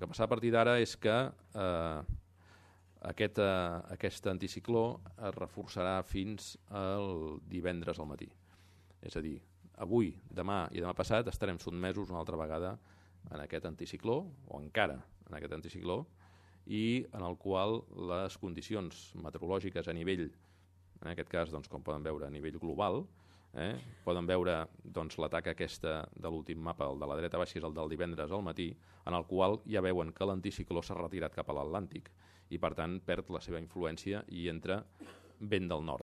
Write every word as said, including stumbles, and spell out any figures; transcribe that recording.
que passarà a partir d'ara és que eh, aquest, eh, aquest anticicló es reforçarà fins al divendres al matí. És a dir, avui, demà i demà passat estarem sotmesos una altra vegada en aquest anticicló, o encara en aquest anticicló, i en el qual les condicions meteorològiques a nivell, en aquest cas, doncs, com poden veure, a nivell global, eh, poden veure doncs, l'atac aquesta de l'últim mapa, el de la dreta baixa, que és el del divendres al matí, en el qual ja veuen que l'anticicló s'ha retirat cap a l'Atlàntic i, per tant, perd la seva influència i entra vent del nord.